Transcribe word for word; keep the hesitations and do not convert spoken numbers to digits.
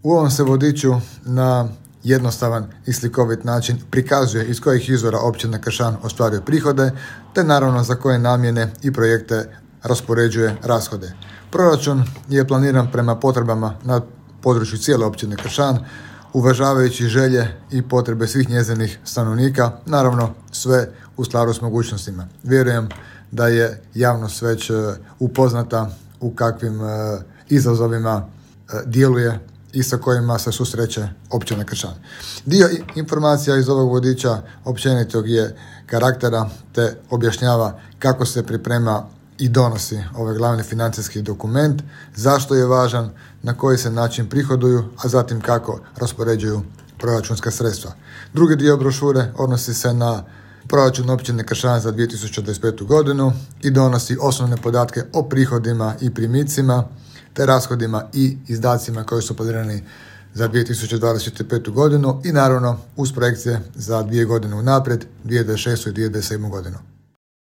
U ovom se vodiču na jednostavan i slikovit način prikazuje iz kojih izvora općina Kršan ostvaruje prihode, te naravno za koje namjene i projekte raspoređuje rashode. Proračun je planiran prema potrebama na području cijele općine Kršan, uvažavajući želje i potrebe svih njezinih stanovnika, naravno sve u skladu s mogućnostima. Vjerujem da je javnost već upoznata u kakvim izazovima djeluje i sa kojima se susreće općina Kršan. Dio informacija iz ovog vodiča općenitog je karaktera te objašnjava kako se priprema i donosi ovaj glavni financijski dokument, zašto je važan, na koji se način prihoduju, a zatim kako raspoređuju proračunska sredstva. Drugi dio brošure odnosi se na proračun općine Kršan za dvije tisuće dvadeset petu godinu i donosi osnovne podatke o prihodima i primicima, te rashodima i izdacima koji su planirani za dvije tisuće dvadeset petu godinu i naravno uz projekcije za dvije godine unaprijed, dvije tisuće dvadeset šestu i dvije tisuće dvadeset sedmu godinu.